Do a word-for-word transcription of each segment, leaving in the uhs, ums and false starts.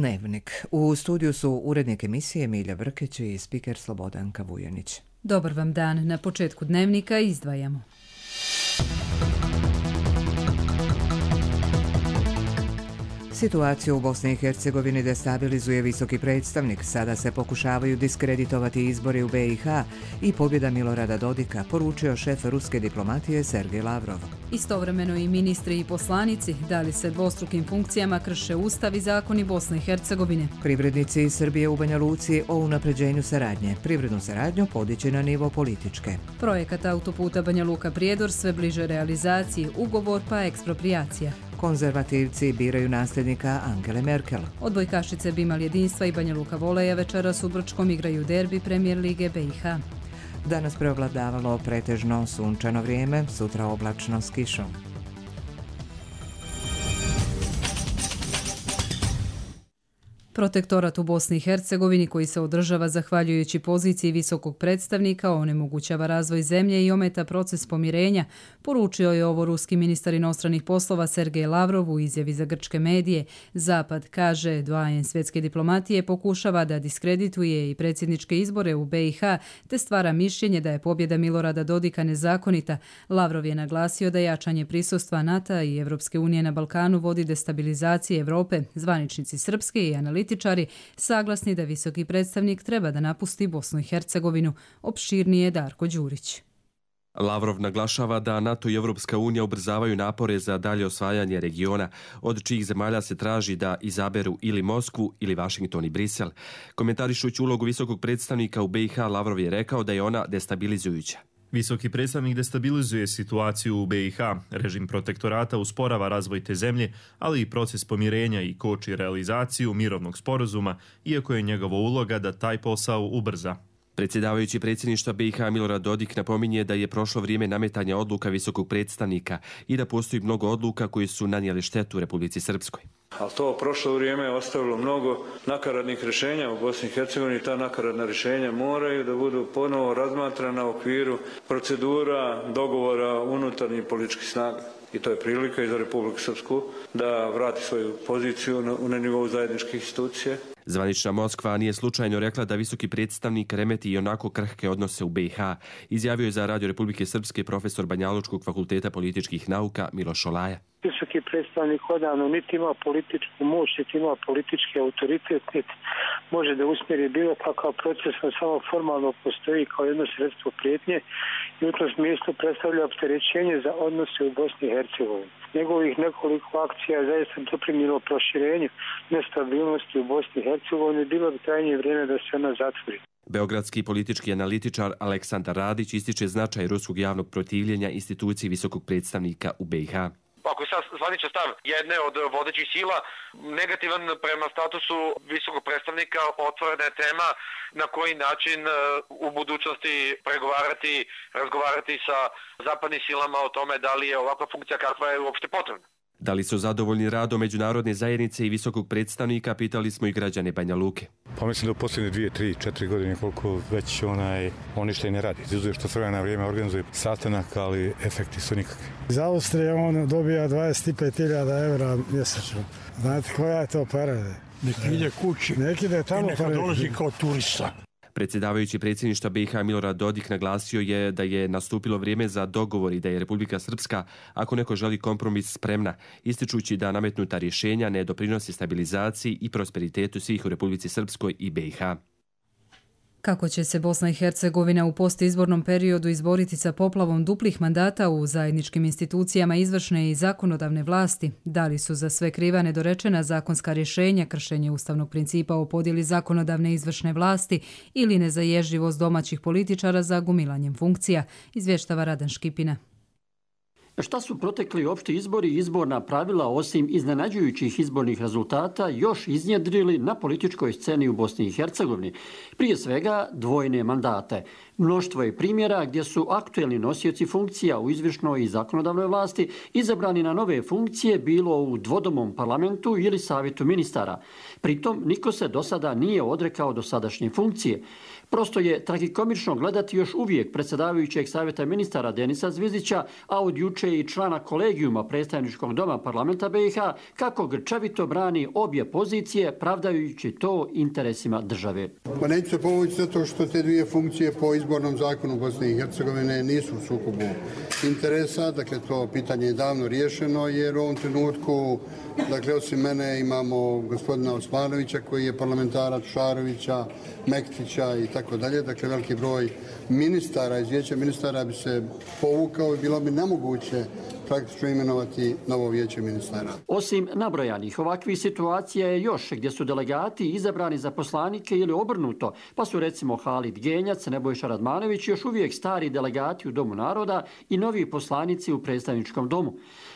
Dnevnik. U studiju su urednik emisije Milja Brkić i spiker Slobodanka Vujanić. Dobar vam dan. Na početku Dnevnika izdvajamo. Situaciju u Bosni i Hercegovini destabilizuje visoki predstavnik. Sada se pokušavaju diskreditovati izbori u be i ha i pobjeda Milorada Dodika, poručio šef ruske diplomatije Sergej Lavrov. Istovremeno i ministri i poslanici da li se dvostrukim funkcijama krše ustav i zakoni Bosne i Hercegovine. Privrednici iz Srbije u Banja Luci o unapređenju saradnje. Privrednu saradnju podići na nivo političke. Projekat autoputa Banja Luka-Prijedor sve bliže realizaciji, ugovor pa eksproprijacija. Konzervativci biraju nasljednika Angele Merkel. Odbojkašice Bimal jedinstva i Banja Luka voleja večeras u Brčkom igraju derbi Premijer lige be i ha. Danas preovladavalo pretežno sunčano vrijeme, sutra oblačno s kišom. Protektorat u Bosni i Hercegovini, koji se održava zahvaljujući poziciji visokog predstavnika, onemogućava razvoj zemlje i ometa proces pomirenja, poručio je ovo ruski ministar inostranih poslova Sergej Lavrov u izjavi za grčke medije. Zapad, kaže, doajen svjetske diplomatije, pokušava da diskredituje i predsjedničke izbore u be i ha, te stvara mišljenje da je pobjeda Milorada Dodika nezakonita. Lavrov je naglasio da jačanje prisustva NATO i Evropske unije na Balkanu vodi destabilizaciji Evrope. Zvaničnici srpske i analitičari saglasni da visoki predstavnik treba da napusti Bosnu i Hercegovinu. Opširnije Darko Đurić. Lavrov naglašava da NATO i Evropska unija ubrzavaju napore za dalje osvajanje regiona, od čijih zemalja se traži da izaberu ili Moskvu ili Vašington i Brisel. Komentarišući ulogu visokog predstavnika u be i ha, Lavrov je rekao da je ona destabilizujuća. Visoki predstavnik destabilizuje situaciju u be i ha. Režim protektorata usporava razvoj te zemlje, ali i proces pomirenja i koči realizaciju mirovnog sporazuma, iako je njegova uloga da taj posao ubrza. Predsjedavajući predsjedništva be i ha Milorad Dodik napominje da je prošlo vrijeme nametanja odluka visokog predstavnika i da postoji mnogo odluka koje su nanijele štetu Republici Srpskoj. Ali to prošlo vrijeme je ostavilo mnogo nakaradnih rješenja u Bosni i Hercegovini. Ta nakaradna rješenja moraju da budu ponovo razmatrana u okviru procedura, dogovora unutarnjih političkih snaga. I to je prilika i za Republiku Srpsku da vrati svoju poziciju na, na nivou zajedničkih institucija. Zvanična Moskva nije slučajno rekla da visoki predstavnik remeti i onako krhke odnose u be i ha. Izjavio je za Radio Republike Srpske profesor Banjalučkog fakulteta političkih nauka Miloš Olaja. Visoki predstavnik odavno niti ima političku moć, niti ima politički autoritet, niti može da usmjeri bilo kakav proces, on samo formalno postoji kao jedno sredstvo prijetnje i u tom smislu predstavlja opterećenje za odnose u Bosni i Hercegovini. Njegovih nekoliko akcija zaista doprinijelo proširenju nestabilnosti u Bosni i Hercegovini, bilo bi krajnje vrijeme da se ona zatvori. Beogradski politički analitičar Aleksandar Radić ističe značaj ruskog javnog protivljenja instituciji visokog predstavnika u be i ha. Ako je sad zvaničan stav jedne od vodećih sila negativan prema statusu visokog predstavnika, otvorena je tema na koji način u budućnosti pregovarati, razgovarati sa zapadnim silama o tome da li je ovakva funkcija kakva je uopšte potrebna. Da li su zadovoljni radom međunarodne zajednice i visokog predstavnika, pitali smo i građane Banja Luke. Pa mislim da u posljednje dvije, tri, četiri godine koliko već onaj, on ništa i ne radi. Izuzuje što sve na vrijeme organizuje sastanak, ali efekti su nikakvi. Iz Austrije on dobija dvadeset pet hiljada evra mjesečno. Znate koja je to para? Neki ide kući neki ide tamo, i neka pa dolazi kao turista. Predsjedavajući predsjedništva be i ha Milorad Dodik naglasio je da je nastupilo vrijeme za dogovor i da je Republika Srpska, ako neko želi kompromis, spremna, ističući da nametnuta rješenja ne doprinosi stabilizaciji i prosperitetu svih u Republici Srpskoj i be i ha. Kako će se Bosna i Hercegovina u postizbornom periodu izboriti sa poplavom duplih mandata u zajedničkim institucijama izvršne i zakonodavne vlasti? Da li su za sve kriva nedorečena zakonska rješenja, kršenje ustavnog principa o podjeli zakonodavne i izvršne vlasti ili nezaježljivost domaćih političara za gumilanjem funkcija? Izvještava Radan Škipina. Šta su protekli opšti izbori i izborna pravila, osim iznenađujućih izbornih rezultata, još iznjedrili na političkoj sceni u Bosni i Hercegovini? Prije svega dvojne mandate. Mnoštvo je primjera gdje su aktuelni nosioci funkcija u izvršnoj i zakonodavnoj vlasti izabrani na nove funkcije bilo u dvodomom parlamentu ili savjetu ministara. Pritom niko se do sada nije odrekao dosadašnje funkcije. Prosto je tragikomično gledati još uvijek predsjedavajućeg savjeta ministara Denisa Zvizdića, a od juče i člana kolegijuma predstavničkog doma parlamenta B i H, kako grčevito brani obje pozicije, pravdajući to interesima države. Pa neću se povući zato što te dvije funkcije po izbornom zakonu Bosne i Hercegovine nisu u sukobu interesa. Dakle, to pitanje je davno riješeno jer u ovom trenutku, dakle, osim mene imamo gospodina Osmanovića koji je parlamentarac, Šarovića, Mektića i tako dalje. Dakle, veliki broj ministara iz vijeća ministara bi se povukao i bilo bi nemoguće praktično imenovati novo vijeće ministara. Osim nabrojanih, ovakvih situacija je još gdje su delegati izabrani za poslanike ili obrnuto, pa su recimo Halid Genjac, Nebojša Radmanović još uvijek stari delegati u Domu naroda i novi poslanici u predstavničkom domu.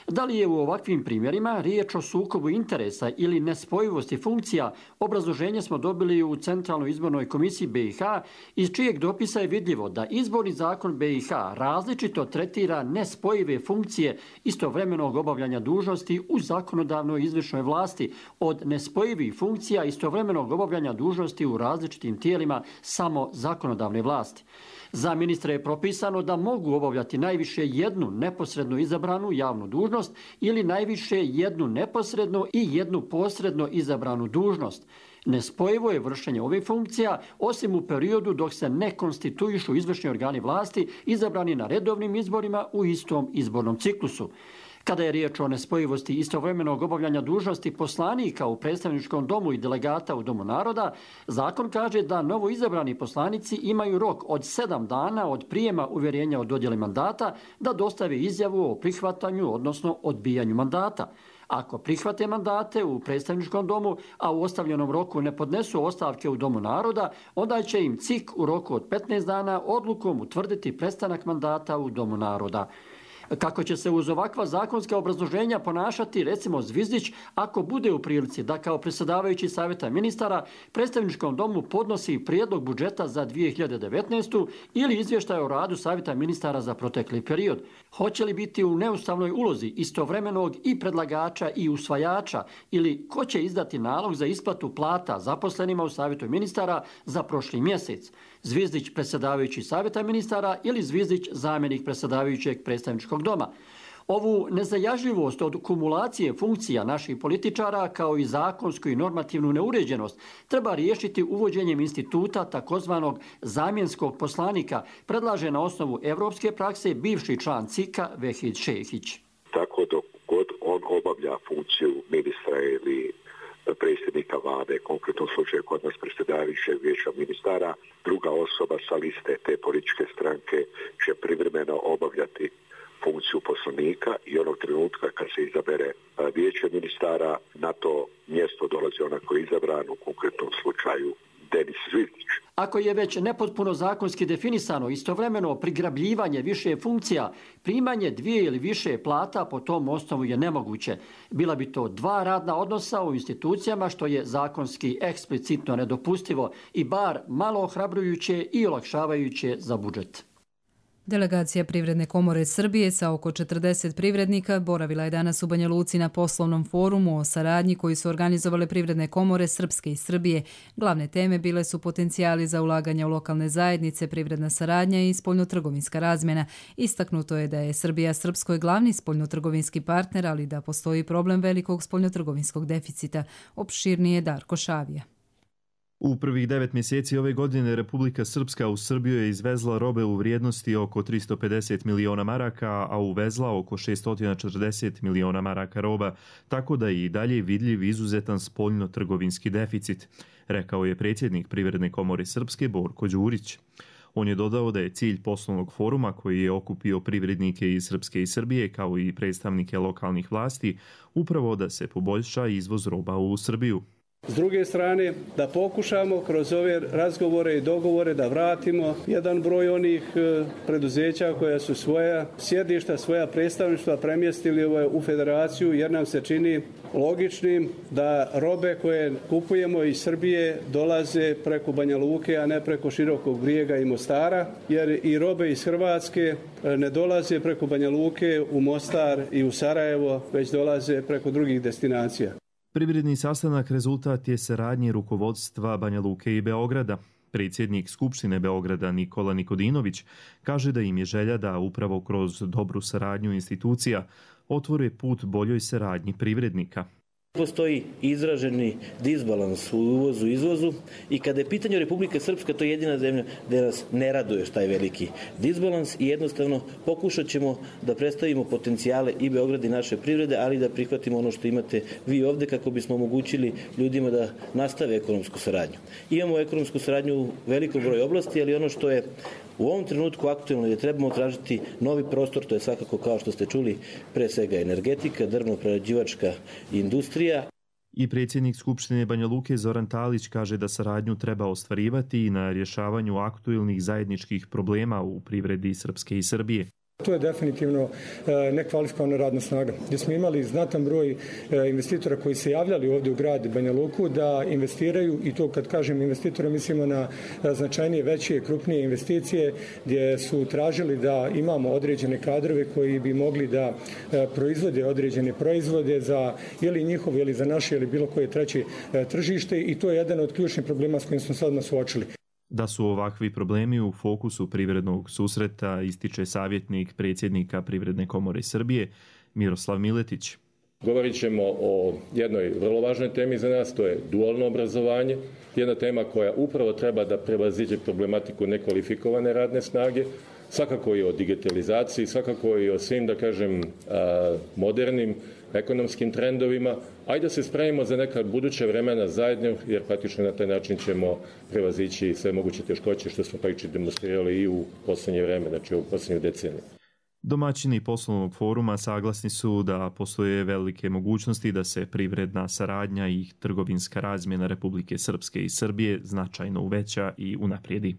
Da li je u ovakvim primjerima riječ o sukobu interesa ili nespojivosti funkcija, obrazloženje smo dobili u Centralnoj izbornoj komisiji B i H, iz čijeg dopisa je vidljivo da izborni zakon B i H različito tretira nespojive funkcije istovremenog obavljanja dužnosti u zakonodavnoj izvršnoj vlasti od nespojivih funkcija istovremenog obavljanja dužnosti u različitim tijelima samo zakonodavne vlasti. Za ministre je propisano da mogu obavljati najviše jednu neposredno izabranu javnu dužnost ili najviše jednu neposredno i jednu posredno izabranu dužnost. Nespojivo je vršenje ovih funkcija osim u periodu dok se ne konstituišu izvršni organi vlasti izabrani na redovnim izborima u istom izbornom ciklusu. Kada je riječ o nespojivosti istovremenog obavljanja dužnosti poslanika u predstavničkom domu i delegata u Domu naroda, zakon kaže da novo izabrani poslanici imaju rok od sedam dana od prijema uvjerenja o dodjeli mandata da dostave izjavu o prihvatanju, odnosno odbijanju mandata. Ako prihvate mandate u predstavničkom domu, a u ostavljenom roku ne podnesu ostavke u Domu naroda, onda će im C I K u roku od petnaest dana odlukom utvrditi prestanak mandata u Domu naroda. Kako će se uz ovakva zakonska obrazloženja ponašati recimo Zvizdić ako bude u prilici da kao predsjedavajući savjeta ministara predstavničkom domu podnosi prijedlog budžeta za dvije hiljade devetnaestu. ili izvještaj o radu savjeta ministara za protekli period? Hoće li biti u neustavnoj ulozi istovremenog i predlagača i usvajača ili ko će izdati nalog za isplatu plata zaposlenima u savjetu ministara za prošli mjesec? Zvizdić predsjedavajući savjeta ministara ili Zvizdić zamjenik predsjedavajućeg predstavničkog doma? Ovu nezajažljivost od kumulacije funkcija naših političara kao i zakonsku i normativnu neuređenost treba riješiti uvođenjem instituta takozvanog zamjenskog poslanika, predlaže na osnovu evropske prakse bivši član C I K-a Vehid Šehić. Tako dok god on obavlja funkciju ministra ili predsjednika vlade, konkretno slučaju kod nas predsjedavajućeg vijeća ministara, druga osoba sa liste te političke stranke će privremeno obavljati funkciju poslanika i onog trenutka kad se izabere vijeće ministara, na to mjesto dolazi onaj koji je izabran, u konkretnom slučaju Denis Zvizdić. Ako je već nepotpuno zakonski definisano istovremeno prigrabljivanje više funkcija, primanje dvije ili više plata po tom osnovu je nemoguće. Bila bi to dva radna odnosa u institucijama što je zakonski eksplicitno nedopustivo i bar malo ohrabrujuće i olakšavajuće za budžet. Delegacija Privredne komore Srbije sa oko četrdeset privrednika boravila je danas u Banja Luci na poslovnom forumu o saradnji koji su organizovale Privredne komore Srpske i Srbije. Glavne teme bile su potencijali za ulaganje u lokalne zajednice, privredna saradnja i spoljnotrgovinska razmjena. Istaknuto je da je Srbija Srpskoj glavni spoljnotrgovinski partner, ali da postoji problem velikog spoljnotrgovinskog deficita. Opširnije Darko Šavija. U prvih devet mjeseci ove godine Republika Srpska u Srbiju je izvezla robe u vrijednosti oko tristo pedeset miliona maraka, a uvezla oko šesto četrdeset miliona maraka roba, tako da je i dalje vidljiv izuzetan spoljno-trgovinski deficit, rekao je predsjednik Privredne komore Srpske Borko Đurić. On je dodao da je cilj poslovnog foruma koji je okupio privrednike iz Srpske i Srbije kao i predstavnike lokalnih vlasti upravo da se poboljša izvoz roba u Srbiju. S druge strane, da pokušamo kroz ove razgovore i dogovore da vratimo jedan broj onih preduzeća koja su svoja sjedišta, svoja predstavništva premjestili u federaciju, jer nam se čini logičnim da robe koje kupujemo iz Srbije dolaze preko Banja Luke, a ne preko Širokog Brijega i Mostara, jer i robe iz Hrvatske ne dolaze preko Banja Luke u Mostar i u Sarajevo, već dolaze preko drugih destinacija. Privredni sastanak rezultat je saradnje rukovodstva Banja Luke i Beograda. Predsjednik Skupštine Beograda Nikola Nikodinović kaže da im je želja da upravo kroz dobru saradnju institucija otvore put boljoj saradnji privrednika. Postoji izraženi disbalans u uvozu i izvozu i kada je pitanje Republike Srpska, to je jedina zemlja gdje nas ne raduje taj veliki disbalans i jednostavno pokušat ćemo da predstavimo potencijale i Beograda i naše privrede, ali da prihvatimo ono što imate vi ovdje kako bismo omogućili ljudima da nastave ekonomsku saradnju. Imamo ekonomsku saradnju u velikom broju oblasti, ali ono što je u ovom trenutku aktualno je trebamo tražiti novi prostor, to je svakako kao što ste čuli pre svega energetika, drvno-prerađivačka industrija. I predsjednik Skupštine Banja Luke Zoran Talić kaže da saradnju treba ostvarivati i na rješavanju aktualnih zajedničkih problema u privredi Srpske i Srbije. To je definitivno nekvalifikovana radna snaga. Gdje smo imali znatan broj investitora koji se javljali ovdje u grad Banja Luku da investiraju, i to kad kažem investitora mislimo na značajnije, veće, krupnije investicije, gdje su tražili da imamo određene kadrove koji bi mogli da proizvode određene proizvode za ili njihovo ili za naše ili bilo koje treće tržište, i to je jedan od ključnih problema s kojim smo sad nas suočili. Da su ovakvi problemi u fokusu privrednog susreta, ističe savjetnik predsjednika Privredne komore Srbije Miroslav Miletić. Govorit ćemo o jednoj vrlo važnoj temi za nas, to je dualno obrazovanje. Jedna tema koja upravo treba da prevaziđe problematiku nekvalifikovane radne snage, svakako i o digitalizaciji, svakako i o svim, da kažem, modernim ekonomskim trendovima, ajde da se spremimo za neka buduća vremena zajedno, jer praktično na taj način ćemo prevazići sve moguće teškoće što smo praktično demonstrirali i u posljednje vreme, znači u posljednje decenije. Domaćini poslovnog foruma saglasni su da postoje velike mogućnosti da se privredna saradnja i trgovinska razmjena Republike Srpske i Srbije značajno uveća i unaprijedi.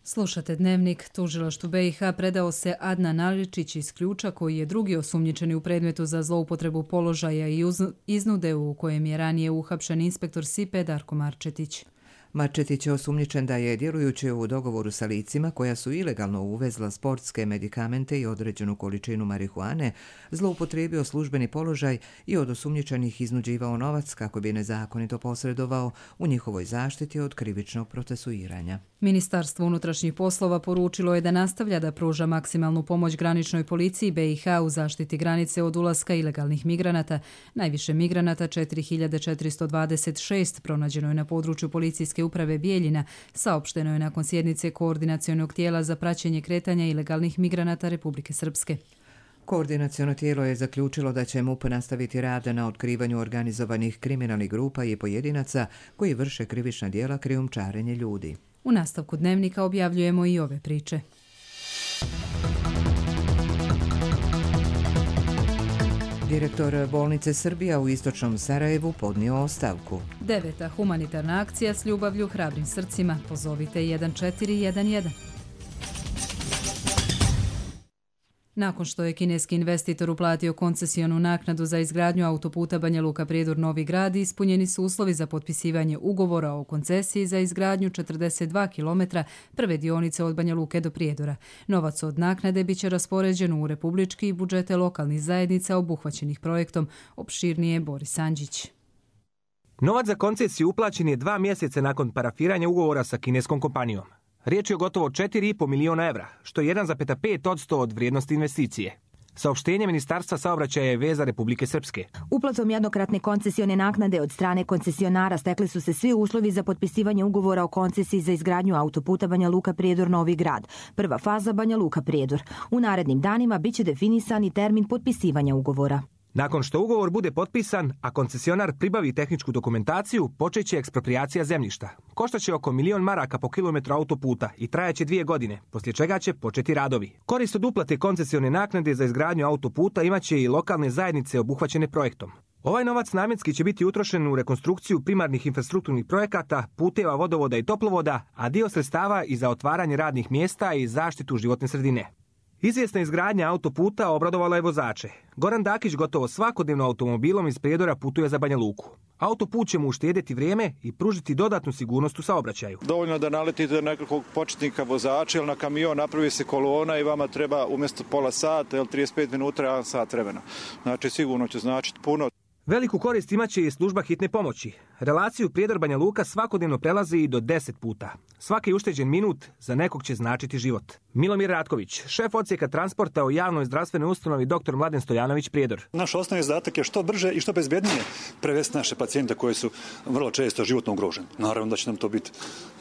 Slušate Dnevnik. Tužilaštvu B i H predao se Adnan Aličić iz Ključa, koji je drugi osumnjičeni u predmetu za zloupotrebu položaja i iznude u kojem je ranije uhapšen inspektor S I P E Darko Marčetić. Marčetić je osumnjičen da je, djelujući u dogovoru sa licima koja su ilegalno uvezla sportske medikamente i određenu količinu marihuane, zloupotrijebio službeni položaj i od osumnjičenih iznuđivao novac kako bi nezakonito posredovao u njihovoj zaštiti od krivičnog procesuiranja. Ministarstvo unutrašnjih poslova poručilo je da nastavlja da pruža maksimalnu pomoć graničnoj policiji B i H u zaštiti granice od ulaska ilegalnih migranata. Najviše migranata, četiri hiljade četiristo dvadeset šest, pronađeno je na području policijske uprave Bijeljina, saopšteno je nakon sjednice koordinacionog tijela za praćenje kretanja ilegalnih migranata Republike Srpske. Koordinaciono tijelo je zaključilo da će M U P nastaviti rad na otkrivanju organizovanih kriminalnih grupa i pojedinaca koji vrše krivična djela krijumčarenje ljudi. U nastavku Dnevnika objavljujemo i ove priče. Direktor bolnice Srbija u istočnom Sarajevu podnio ostavku. Deveta humanitarna akcija s ljubavlju hrabrim srcima. Pozovite jedan četiri jedan jedan. Nakon što je kineski investitor uplatio koncesionu naknadu za izgradnju autoputa Banja Luka Prijedor-Novi Grad, ispunjeni su uslovi za potpisivanje ugovora o koncesiji za izgradnju četrdeset dva kilometra prve dionice od Banja Luke do Prijedora. Novac od naknade biće raspoređen u republički i budžete lokalnih zajednica obuhvaćenih projektom, opširnije Boris Andžić. Novac za koncesiju uplaćen je dva mjeseca nakon parafiranja ugovora sa kineskom kompanijom. Riječ je o gotovo četiri i po miliona evra, što je jedan zarez pet posto od vrijednosti investicije. Saopštenje Ministarstva saobraćaja je veza Republike Srpske. Uplatom jednokratne koncesione naknade od strane koncesionara stekli su se svi uslovi za potpisivanje ugovora o koncesiji za izgradnju autoputa Banja Luka Prijedor-Novi Grad. Prva faza Banja Luka Prijedor. U narednim danima biće definisan i termin potpisivanja ugovora. Nakon što ugovor bude potpisan, a koncesionar pribavi tehničku dokumentaciju, počeće eksproprijacija zemljišta. Koštaće oko milion maraka po kilometru autoputa i trajaće dvije godine, poslije čega će početi radovi. Korist od uplate koncesione naknade za izgradnju autoputa imaće i lokalne zajednice obuhvaćene projektom. Ovaj novac namjenski će biti utrošen u rekonstrukciju primarnih infrastrukturnih projekata, puteva, vodovoda i toplovoda, a dio sredstava i za otvaranje radnih mjesta i zaštitu životne sredine. Izvjesna izgradnja autoputa obradovala je vozače. Goran Dakić gotovo svakodnevno automobilom iz Prijedora putuje za Banja Luku. Autoput će mu uštedjeti vrijeme i pružiti dodatnu sigurnost u saobraćaju. Dovoljno da naletite na nekakvog početnika vozača ili na kamion, napravi se kolona i vama treba umjesto pola sata ili trideset pet minuta, jedan sat vremena. Znači sigurno će značiti puno. Veliku korist imaće i služba hitne pomoći. Relaciju Prijedor-Banja Luka svakodnevno prelazi i do deset puta. Svaki ušteđen minut za nekog će značiti život. Milomir Ratković, šef odsjeka transporta u javnoj zdravstvenoj ustanovi dr. Mladen Stojanović Prijedor. Naš osnovni zadatak je što brže i što bezbjednije prevesti naše pacijente koji su vrlo često životno ugroženi. Naravno da će nam to biti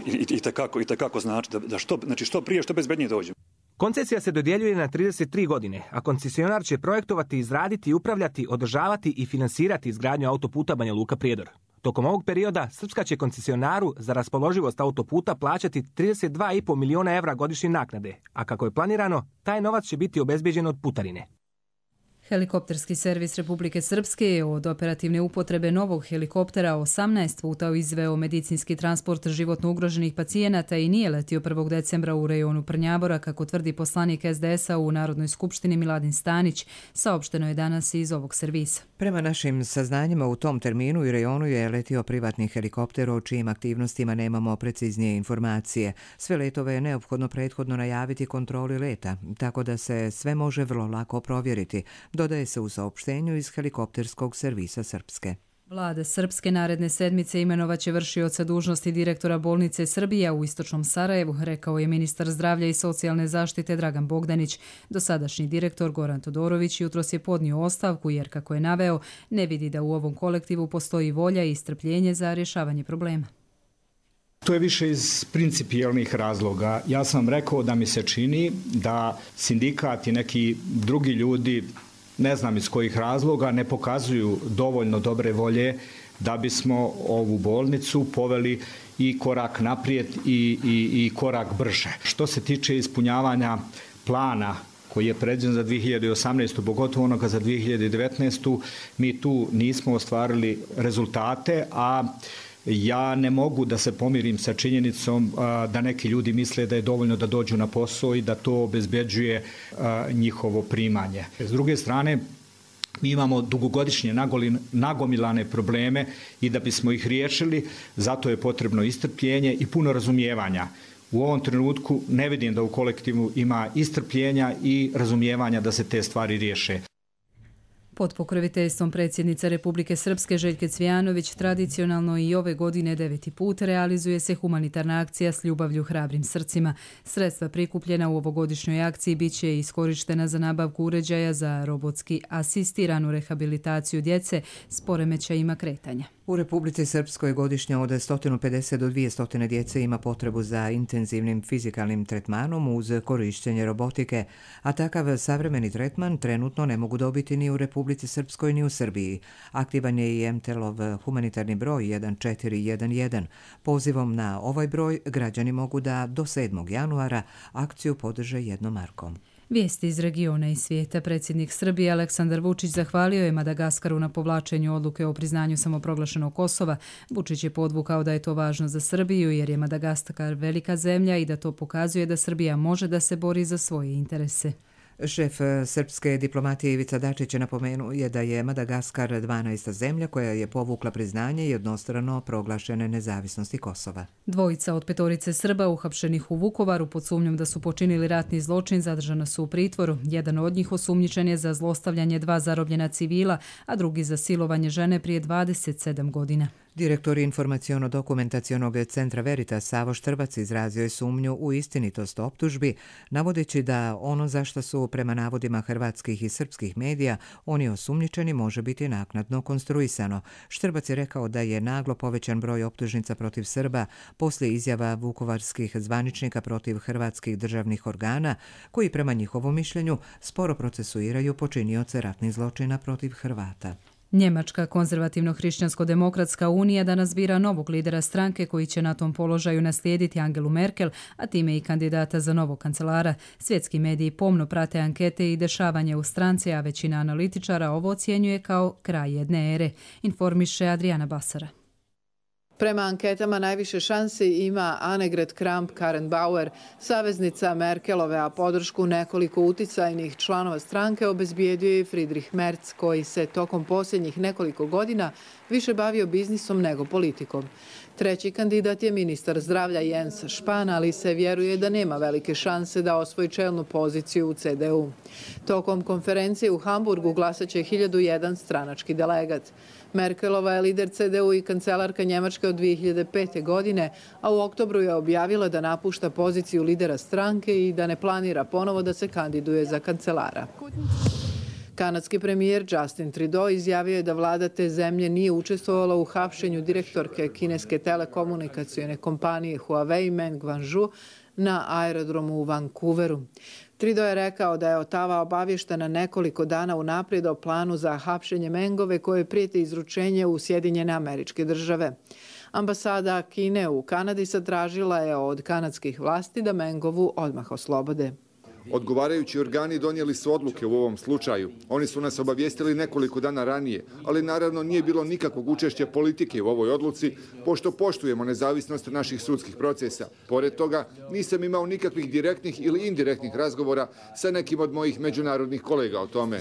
i tekako i tekako znači da što, znači što prije, što bezbjednije dođemo. Koncesija se dodjeljuje na trideset tri godine, a koncesionar će projektovati, izraditi, upravljati, održavati i finansirati izgradnju autoputa Banja Luka Prijedor. Tokom ovog perioda Srpska će koncesionaru za raspoloživost autoputa plaćati trideset dva i pol miliona evra godišnje naknade, a kako je planirano, taj novac će biti obezbeđen od putarine. Helikopterski servis Republike Srpske je od operativne upotrebe novog helikoptera osamnaest puta izveo medicinski transport životno ugroženih pacijenata i nije letio prvog decembra u rejonu Prnjabora, kako tvrdi poslanik es de es-a u Narodnoj skupštini Miladin Stanić, saopšteno je danas iz ovog servisa. Prema našim saznanjima u tom terminu i rejonu je letio privatni helikopter o čijim aktivnostima nemamo preciznije informacije. Sve letove je neophodno prethodno najaviti kontroli leta, tako da se sve može vrlo lako provjeriti, dodaje se u saopštenju iz helikopterskog servisa Srpske. Vlada Srpske naredne sedmice imenovaće vršioca dužnosti direktora bolnice Srbija u istočnom Sarajevu, rekao je ministar zdravlja i socijalne zaštite Dragan Bogdanić. Dosadašnji direktor Goran Todorović jutros je podnio ostavku jer, kako je naveo, ne vidi da u ovom kolektivu postoji volja i strpljenje za rješavanje problema. To je više iz principijelnih razloga. Ja sam rekao da mi se čini da sindikat i neki drugi ljudi, ne znam iz kojih razloga, ne pokazuju dovoljno dobre volje da bismo ovu bolnicu poveli i korak naprijed i, i, i korak brže. Što se tiče ispunjavanja plana koji je predviđen za dvije hiljade osamnaestu, pogotovo onoga za dvije hiljade devetnaestu, mi tu nismo ostvarili rezultate, a ja ne mogu da se pomirim sa činjenicom a, da neki ljudi misle da je dovoljno da dođu na posao i da to obezbeđuje a, njihovo primanje. S druge strane, mi imamo dugogodišnje nagomilane probleme i da bismo ih riješili, zato je potrebno i strpljenje i puno razumijevanja. U ovom trenutku ne vidim da u kolektivu ima i strpljenja i razumijevanja da se te stvari riješe. Pod pokroviteljstvom predsjednice Republike Srpske Željke Cvijanović tradicionalno i ove godine deveti put realizuje se humanitarna akcija S ljubavlju hrabrim srcima. Sredstva prikupljena u ovogodišnjoj akciji bit će iskorištena za nabavku uređaja za robotski asistiranu rehabilitaciju djece s poremećajima kretanja. U Republici Srpskoj godišnje od sto pedeset do dvjesto djece ima potrebu za intenzivnim fizikalnim tretmanom uz korištenje robotike, a takav savremeni tretman trenutno ne mogu dobiti ni u Republici Srpskoj ni u Srbiji. Aktivan je i em te el-ov humanitarni broj jedan četiri jedan jedan. Pozivom na ovaj broj građani mogu da do sedmog januara akciju podrže jednom markom. Vijesti iz regiona i svijeta. Predsjednik Srbije Aleksandar Vučić zahvalio je Madagaskaru na povlačenju odluke o priznanju samoproglašenog Kosova. Vučić je podvukao da je to važno za Srbiju jer je Madagaskar velika zemlja i da to pokazuje da Srbija može da se bori za svoje interese. Šef srpske diplomatije Ivica Dačić napomenuo je da je Madagaskar dvanaesta zemlja koja je povukla priznanje jednostrano proglašene nezavisnosti Kosova. Dvojica od petorice Srba uhapšenih u Vukovaru pod sumnjom da su počinili ratni zločin zadržana su u pritvoru. Jedan od njih osumnjičen je za zlostavljanje dva zarobljena civila, a drugi za silovanje žene prije dvadeset sedam godina. Direktor informaciono-dokumentacionog centra Veritas Savo Štrbac izrazio je sumnju u istinitost optužbi, navodeći da ono za što su prema navodima hrvatskih i srpskih medija oni osumnjičeni može biti naknadno konstruisano. Štrbac je rekao da je naglo povećan broj optužnica protiv Srba poslije izjava vukovarskih zvaničnika protiv hrvatskih državnih organa, koji prema njihovom mišljenju sporo procesuiraju počinioce ratnih zločina protiv Hrvata. Njemačka konzervativno-hrišćansko-demokratska unija danas bira novog lidera stranke koji će na tom položaju naslijediti Angelu Merkel, a time i kandidata za novog kancelara. Svjetski mediji pomno prate ankete i dešavanje u stranci, a većina analitičara ovo ocjenjuje kao kraj jedne ere, informiše Adriana Basara. Prema anketama najviše šansi ima Annegret Kramp-Karrenbauer, saveznica Merkelove, a podršku nekoliko uticajnih članova stranke obezbijedio je Friedrich Merz, koji se tokom posljednjih nekoliko godina više bavio biznisom nego politikom. Treći kandidat je ministar zdravlja Jens Spahn, ali se vjeruje da nema velike šanse da osvoji čelnu poziciju u C D U. Tokom konferencije u Hamburgu glasaće hiljadu jedan stranački delegat. Merkelova je lider C D U i kancelarka Njemačke od dvije hiljade pete. godine, a u oktobru je objavila da napušta poziciju lidera stranke i da ne planira ponovo da se kandiduje za kancelara. Kanadski premijer Justin Trudeau izjavio je da vlada te zemlje nije učestvovala u hapšenju direktorke kineske telekomunikacione kompanije Huawei Meng Wanzhou na aerodromu u Vancouveru. Trudeau je rekao da je Ottawa obavještena nekoliko dana unaprijed o planu za hapšenje Mengove koje prijeti izručenje u Sjedinjene Američke Države. Ambasada Kine u Kanadi zatražila je od kanadskih vlasti da Mengovu odmah oslobode. Odgovarajući organi donijeli su odluke u ovom slučaju. Oni su nas obavijestili nekoliko dana ranije, ali naravno nije bilo nikakvog učešća politike u ovoj odluci, pošto poštujemo nezavisnost naših sudskih procesa. Pored toga, nisam imao nikakvih direktnih ili indirektnih razgovora sa nekim od mojih međunarodnih kolega o tome.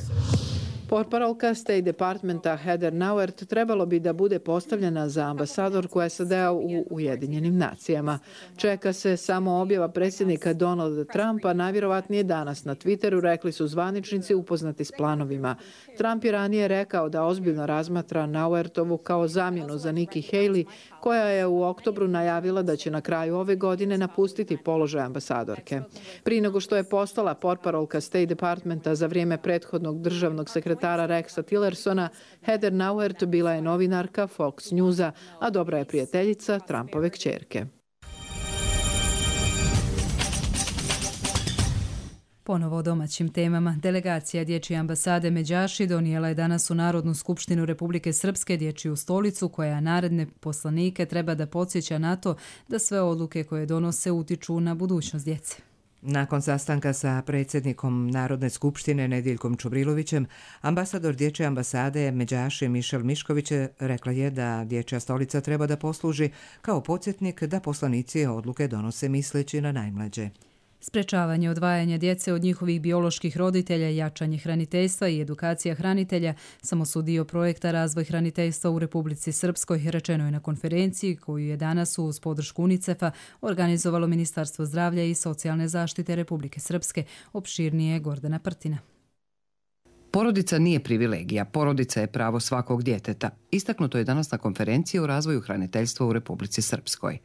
Portparolka State Departmenta Heather Nauert trebalo bi da bude postavljena za ambasadorku S A D-a u Ujedinjenim nacijama. Čeka se samo objava predsjednika Donalda Trumpa, najvjerovatnije danas na Twitteru, rekli su zvaničnici upoznati s planovima. Trump je ranije rekao da ozbiljno razmatra Nauertovu kao zamjenu za Nikki Haley, koja je u oktobru najavila da će na kraju ove godine napustiti položaj ambasadorke. Prije nego što je postala portparolka State Departmenta za vrijeme prethodnog državnog sekretara Rexa Tillersona, Heather Nauert bila je novinarka Fox Newsa, a dobra je prijateljica Trumpove kćerke. Ponovo o domaćim temama. Delegacija Dječje ambasade Međaši donijela je danas u Narodnu skupštinu Republike Srpske Dječju stolicu, koja naredne poslanike treba da podsjeća na to da sve odluke koje donose utiču na budućnost djece. Nakon sastanka sa predsjednikom Narodne skupštine Nediljkom Čubrilovićem, ambasador Dječje ambasade Međaši Mišel Mišković rekla je da Dječja stolica treba da posluži kao podsjetnik da poslanici odluke donose misleći na najmlađe. Sprečavanje odvajanja djece od njihovih bioloških roditelja, jačanje hraniteljstva i edukacija hranitelja samo su dio projekta Razvoj hraniteljstva u Republici Srpskoj, rečeno je na konferenciji koju je danas uz podršku UNICEF-a organizovalo Ministarstvo zdravlja i socijalne zaštite Republike Srpske. Opširnije Gordana Prtina. Porodica nije privilegija, porodica je pravo svakog djeteta. Istaknuto je danas na konferenciji o razvoju hraniteljstva u Republici Srpskoj.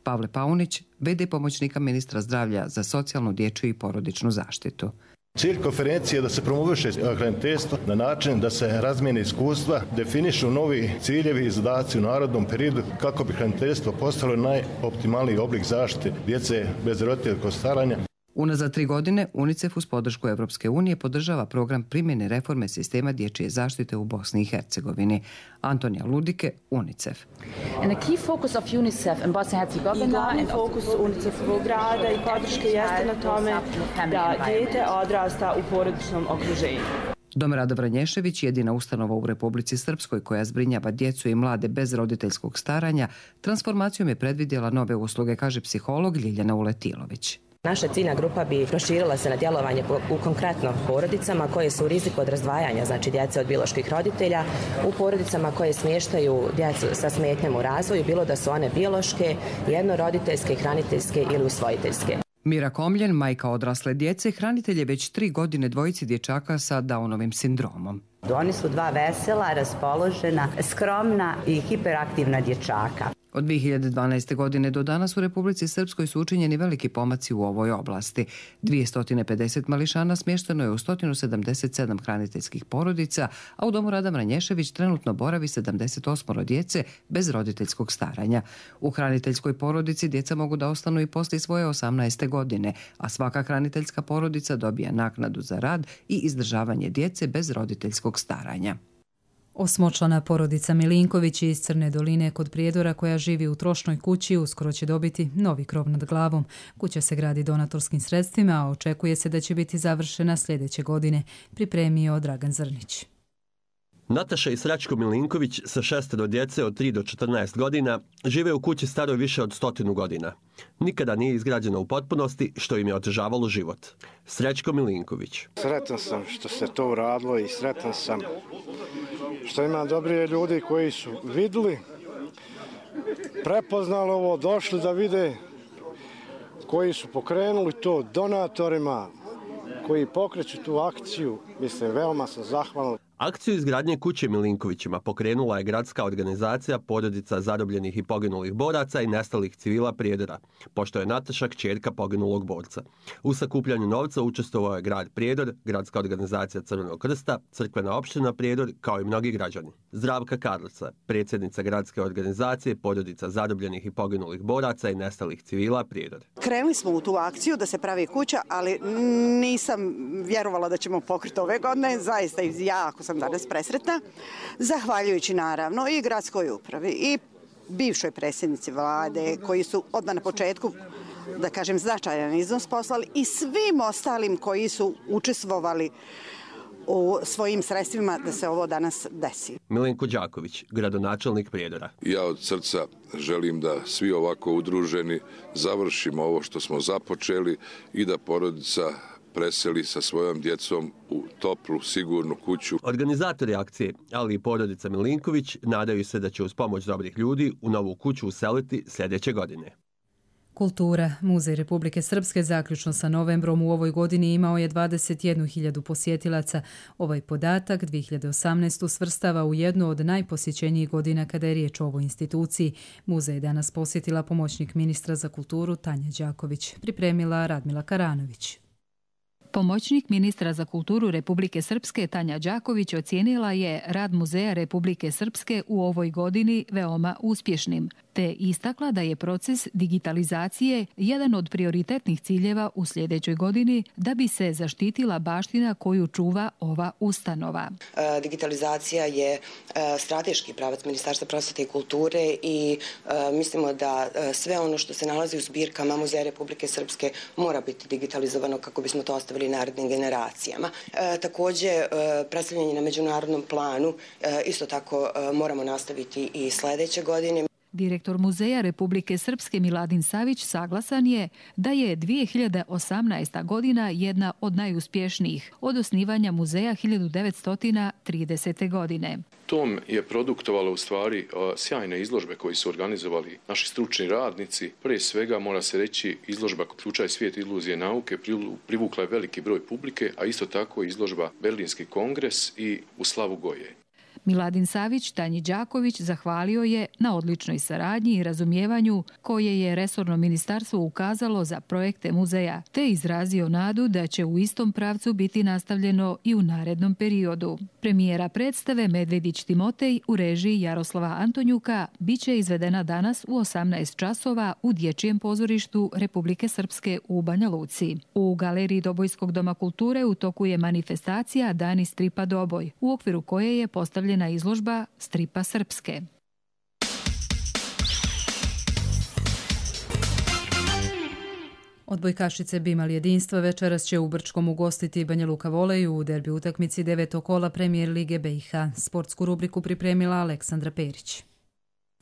Pavle Paunić, ve de pomoćnika ministra zdravlja za socijalnu, dječju i porodičnu zaštitu. Cilj konferencije je da se promoviše hraniteljstvo na način da se razmijene iskustva, definišu novi ciljevi i zadaci u narodnom periodu kako bi hraniteljstvo postalo najoptimalniji oblik zaštite djece bez roditeljskog staranja. Unazad tri godine UNICEF uz podršku Evropske unije podržava program primjene reforme sistema dječje zaštite u Bosni i Hercegovini. Antonija Ludike, UNICEF. And a key focus of UNICEF in Bosnia and Herzegovina, i glavni fokus UNICEF-ovog rada i podrške jeste na tome da dijete odrasta u porodičnom okruženju. Dom Rada Vranješević, jedina ustanova u Republici Srpskoj koja zbrinjava djecu i mlade bez roditeljskog staranja, transformacijom je predvidjela nove usluge, kaže psiholog Ljiljana Uletilović. Naša ciljna grupa bi proširila se na djelovanje u konkretno porodicama koje su u riziku od razdvajanja, znači djece od bioloških roditelja, u porodicama koje smještaju djecu sa smetnjama u razvoju, bilo da su one biološke, jednoroditeljske, hraniteljske ili usvojiteljske. Mira Komljen, majka odrasle djece, hranitelj je već tri godine dvojici dječaka sa Downovim sindromom. Oni su dva vesela, raspoložena, skromna i hiperaktivna dječaka. Od dvije hiljade dvanaeste. godine do danas u Republici Srpskoj su učinjeni veliki pomaci u ovoj oblasti. dvjesto pedeset mališana smješteno je u sto sedamdeset sedam hraniteljskih porodica, a u Domu Rada Vranješević trenutno boravi sedamdeset osam djece bez roditeljskog staranja. U hraniteljskoj porodici djeca mogu da ostanu i poslije svoje osamnaeste. godine, a svaka hraniteljska porodica dobija naknadu za rad i izdržavanje djece bez roditeljskog staranja. Osmočlana porodica Milinković iz Crne Doline kod Prijedora koja živi u trošnoj kući uskoro će dobiti novi krov nad glavom. Kuća se gradi donatorskim sredstvima, a očekuje se da će biti završena sljedeće godine, pripremio Dragan Zrnić. Nataša i Srećko Milinković sa šestero djece od tri do četrnaest godina žive u kući staroj više od stotinu godina. Nikada nije izgrađena u potpunosti, što im je otežavalo život. Srećko Milinković. Sretan sam što se to uradilo i sretan sam što ima dobri ljudi koji su vidjeli, prepoznali ovo, došli da vide, koji su pokrenuli to donatorima, koji pokreću tu akciju. Mislim, veoma sam zahvalan. Akciju izgradnje kuće Milinkovićima pokrenula je gradska organizacija porodica zarobljenih i poginulih boraca i nestalih civila Prijedora, pošto je Nataša kćerka poginulog borca. U sakupljanju novca učestvovao je grad Prijedor, gradska organizacija Crvenog krsta, crkvena opština Prijedor, kao i mnogi građani. Zdravka Karlica, predsjednica gradske organizacije porodica zarobljenih i poginulih boraca i nestalih civila Prijedor. Krenuli smo u tu akciju da se pravi kuća, ali nisam vjerovala da ćemo pokriti ove godine, zaista jako sam danas presretna, zahvaljujući naravno i gradskoj upravi i bivšoj predsjednici vlade koji su odmah na početku, da kažem, značajan iznos poslali i svim ostalim koji su učestvovali u svojim sredstvima da se ovo danas desi. Milenko Đaković, gradonačelnik Prijedora. Ja od srca želim da svi ovako udruženi završimo ovo što smo započeli i da porodica preseli sa svojom djecom u toplu, sigurnu kuću. Organizatori akcije, ali i porodica Milinković, nadaju se da će uz pomoć dobrih ljudi u novu kuću useliti sljedeće godine. Kultura. Muzej Republike Srpske zaključno sa novembrom u ovoj godini imao je dvadeset jednu hiljadu posjetilaca. Ovaj podatak dvije hiljade osamnaeste. svrstava u jednu od najposjećenijih godina kada je riječ o ovoj instituciji. Muzej je danas posjetila pomoćnik ministra za kulturu Tanja Đaković. Pripremila Radmila Karanović. Pomoćnik ministra za kulturu Republike Srpske Tanja Đaković ocijenila je rad Muzeja Republike Srpske u ovoj godini veoma uspješnim, te istakla da je proces digitalizacije jedan od prioritetnih ciljeva u sljedećoj godini da bi se zaštitila baština koju čuva ova ustanova. Digitalizacija je strateški pravac Ministarstva prosvete i kulture i mislimo da sve ono što se nalazi u zbirkama Muzeja Republike Srpske mora biti digitalizovano kako bismo to ostavili narednim generacijama. E, također, e, predstavljanje na međunarodnom planu e, isto tako e, moramo nastaviti i sljedeće godine. Direktor Muzeja Republike Srpske Miladin Savić saglasan je da je dvije hiljade osamnaesta. godina jedna od najuspješnijih od osnivanja muzeja hiljadu devetsto tridesete. godine. Tom je produktovalo u stvari sjajne izložbe koje su organizovali naši stručni radnici. Prije svega mora se reći izložba Ključaj svijet iluzije nauke privukla je veliki broj publike, a isto tako izložba Berlinski kongres i U slavu Goje. Miladin Savić Tanji Đaković zahvalio je na odličnoj saradnji i razumijevanju koje je resorno ministarstvo ukazalo za projekte muzeja, te izrazio nadu da će u istom pravcu biti nastavljeno i u narednom periodu. Premijera predstave Medvedić Timotej u režiji Jaroslava Antonjuka biće izvedena danas u osamnaest časova u Dječjem pozorištu Republike Srpske u Banja Luci. U galeriji Dobojskog doma kulture u toku je manifestacija Dani stripa Doboj, u okviru koje je postavljena na izložba stripa Srpske. Odbojkašice bi imali jedinstva večeras će u Brčkom ugostiti Banja Luka Voleju u derbi utakmici devetog kola Premijer Lige B i H. Sportsku rubriku pripremila Aleksandra Perić.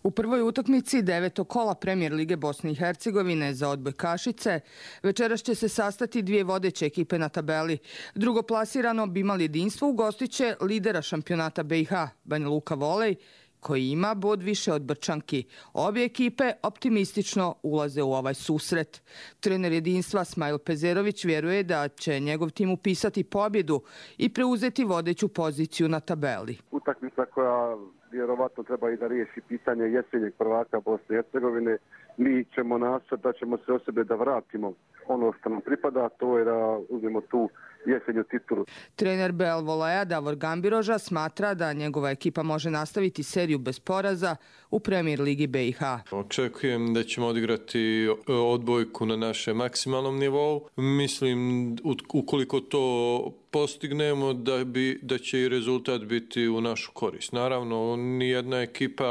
U prvoj utakmici devetog kola Premijer Lige Bosne i Hercegovine za odbojkašice večeras će se sastati dvije vodeće ekipe na tabeli. Drugoplasirano bi imali jedinstvo ugostiće lidera šampionata B i H, Banja Luka Volej, koji ima bod više od Brčanki. Obje ekipe optimistično ulaze u ovaj susret. Trener jedinstva Smajl Pezerović vjeruje da će njegov tim upisati pobjedu i preuzeti vodeću poziciju na tabeli. Utakmica koja vjerovatno treba i da riješi pitanje jesenjeg prvaka Bosne i Hercegovine. Mi ćemo nastojati da ćemo se o sebe da vratimo ono što nam pripada, to je da uzmemo tu jesenju titulu. Trener Bel Volea Davor Gambiroža smatra da njegova ekipa može nastaviti seriju bez poraza u Premier ligi B i H. Očekujem da ćemo odigrati odbojku na našem maksimalnom nivou. Mislim, ukoliko to postignemo da, bi, da će i rezultat biti u našu korist. Naravno, nijedna ekipa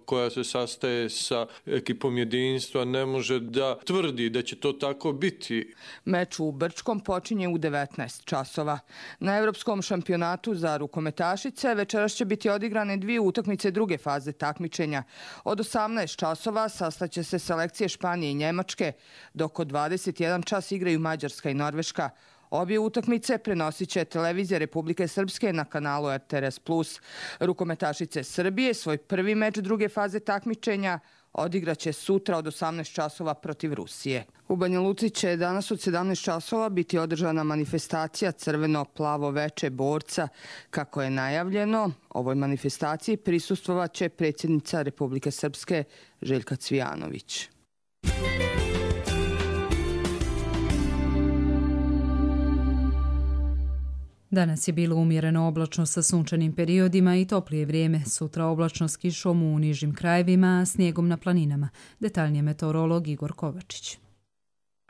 koja se sastaje sa ekipom jedinstva ne može da tvrdi da će to tako biti. Meč u Brčkom počinje u devetnaest časova. Na Evropskom šampionatu za rukometašice večeras će biti odigrane dvije utakmice druge faze takmičenja. Od osamnaest časova sastaće se selekcije Španije i Njemačke, dok od dvadeset jedan čas igraju Mađarska i Norveška. Obje utakmice prenosit će televizija Republike Srpske na kanalu R T R S plus. Rukometašice Srbije svoj prvi meč druge faze takmičenja odigraće sutra od osamnaest časova protiv Rusije. U Banja Luci će danas od sedamnaest časova biti održana manifestacija Crveno-plavo veče borca. Kako je najavljeno, ovoj manifestaciji prisustvovat će predsjednica Republike Srpske Željka Cvijanović. Danas je bilo umjereno oblačno sa sunčanim periodima i toplije vrijeme. Sutra oblačno s kišom u nižim krajevima, a snijegom na planinama. Detaljnije meteorolog Igor Kovačić.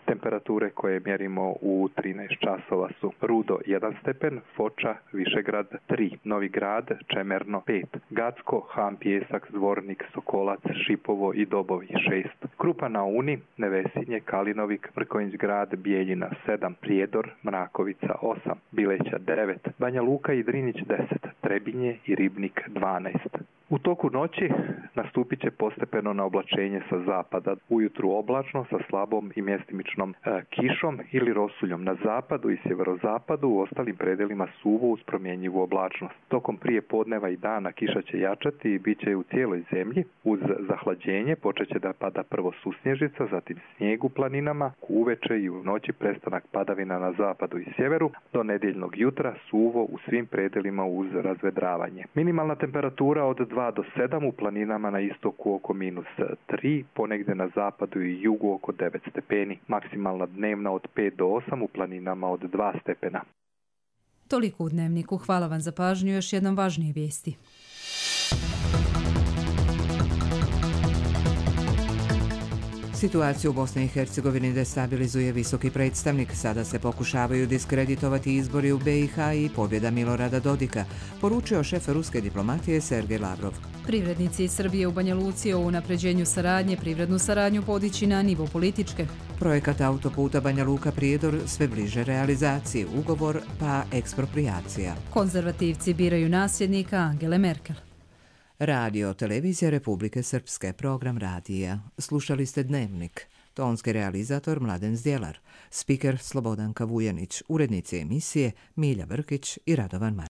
Temperature koje mjerimo u trinaest časova su Rudo jedan stepen, Foča, Višegrad tri, Novi Grad, Čemerno pet, Gacko, Han Pjesak, Zvornik, Sokolac, Šipovo i Dobovi šest, Krupa na Uni, Nevesinje, Kalinovik, Mrkonjić Grad, Bijeljina sedam, Prijedor, Mrakovica osam, Bileća devet, Banja Luka i Drinić deset, Trebinje i Ribnik dvanaest. U toku noći nastupit će postepeno na oblačenje sa zapada. Ujutru oblačno sa slabom i mjestimičnom e, kišom ili rosuljom na zapadu i sjeverozapadu, u ostalim predelima suvo uz promjenjivu oblačnost. Tokom prije podneva i dana kiša će jačati i bit će u cijeloj zemlji. Uz zahlađenje počet će da pada prvo susnježica, zatim snijeg u planinama, uveče i u noći prestanak padavina na zapadu i sjeveru, do nedjeljnog jutra suvo u svim predelima uz razvedravanje. Minimalna temperatura od dva do sedam, u planinama na istoku oko minus tri, ponegdje na zapadu i jugu oko devet stepeni. Maksimalna dnevna od pet do osam, u planinama od dva stepena. Toliko u Dnevniku. Hvala vam za pažnju. Još jednom važnije vijesti. Situaciju u Bosni i Hercegovini destabilizuje visoki predstavnik. Sada se pokušavaju diskreditovati izbori u B i H i pobjeda Milorada Dodika, poručio šef ruske diplomatije Sergej Lavrov. Privrednici iz Srbije u Banja Luci o unapređenju saradnje, privrednu saradnju podići na nivo političke. Projekat autoputa Banja Luka-Prijedor sve bliže realizaciji, ugovor pa ekspropriacija. Konzervativci biraju nasljednika Angele Merkel. Radio Televizija Republike Srpske, program radija. Slušali ste Dnevnik. Tonski realizator Mladen Zdjelar. Spiker Slobodanka Vujanić. Urednici emisije Milja Brkić i Radovan Marković.